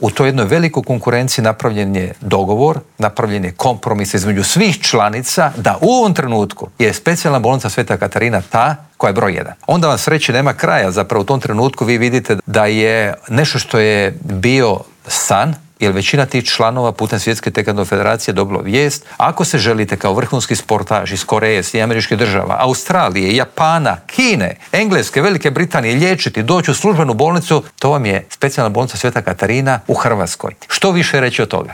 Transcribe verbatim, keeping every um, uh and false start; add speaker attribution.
Speaker 1: U toj jednoj velikoj konkurenciji napravljen je dogovor, napravljen je kompromis između svih članica da u ovom trenutku je specijalna bolnica Sveta Katarina ta koja je broj jedan. Onda vam sreći nema kraja, zapravo u tom trenutku vi vidite da je nešto što je bio san, jer većina tih članova putem Svjetske taekwondo federacije dobilo vijest, ako se želite kao vrhunski sportaž iz Koreje, Sjedinjenih Američkih Država, Australije, Japana, Kine, Engleske, Velike Britanije liječiti, doći u službenu bolnicu, to vam je specijalna bolnica Sveta Katarina u Hrvatskoj. Što više reći od toga?